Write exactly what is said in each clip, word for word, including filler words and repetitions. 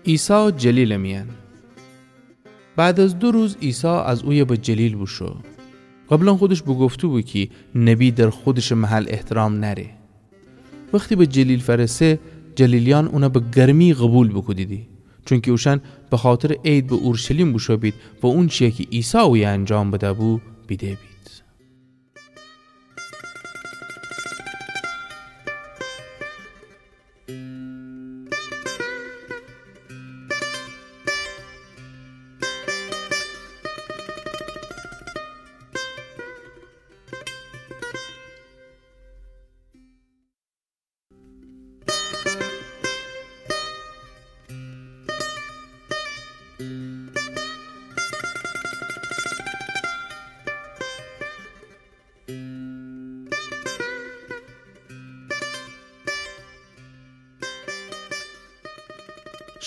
عیسی جلیلٚ میأن. بعد از دو روز عیسی از اویه به جلیل بوشو. قبلاً خودش بوگفته‌بو کی نبی در خودشٚ محل احترام نأره. وختی به جلیل فأرسه، جلیلیأن اونَ به گرمی قوبیل بوکودیدی، چونکی اوشأن بخاطرٚ عید به اورشلیم بوشو بید و اونچی‌یَ کی عیسی اویه انجام بده‌بو بیده بید.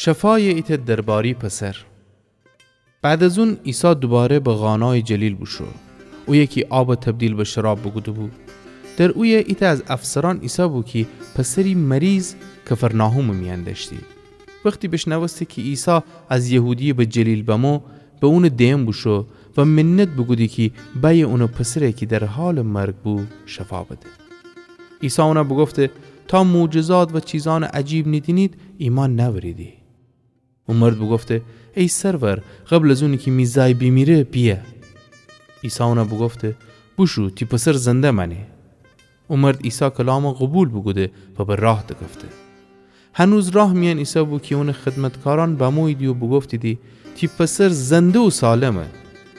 شفایٚ ایتأ درباری پسر. بعد از اون عیسی دوباره به قانایٚ جلیل بوشو، اویه کی آبَ تبدیل به شراب بوکوده‌بو. در اویه ایتأ از افسرأن ایسه‌بو کی پسری مریض کفرناحومٚ میأن دأشتی. وختی بیشنوسته کی عیسی از یهودیه به جلیل بمو، به اونٚ دئن بوشو و منت بوکودی کی بأیه اونٚ پسرَ کی در حالٚ مرگ بو، شفا بده. عیسی اونَ بوگفته: تا معجزات و چیزأنٚ عجیب نیدینید، ایمأن نأوریدی. او مرد بوگفته: ای سرور، قبل از اونی کی می زای بیمیره، بیأ. عیسی اونَ بوگفته: بوشو، تی پسر زنده مأنه. او مرد عیسی کلامَ قوبیل بوکوده و به راه دکفته. هنوز راه میأن ایسه‌بو کی اونٚ خدمتکارأن بموییدی و بوگفتیدی: تی پسر زنده و سالمه.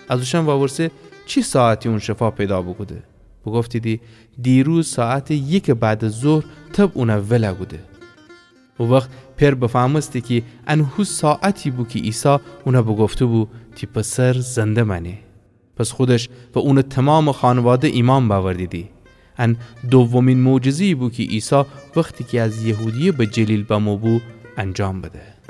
از اوشأن وورسه چی ساعتی اون شفا پیدا بوکوده؟ بوگفتیدی: دیروز ساعتٚ یکٚ بعد از ظهر تب اونَ ول کوده. او وخت پئر بفهمسته کی ان هو ساعتی بو کی عیسی اونَ بوگفته‌بو: تی پسر زنده مأنه. پس خودش و اونٚ تومامٚ خانواده ایمأن بأوردیدی. ان دومین معجزه‌یی بو کی عیسی وختی کی از یهودیه به جلیل بمو بو، انجام بده.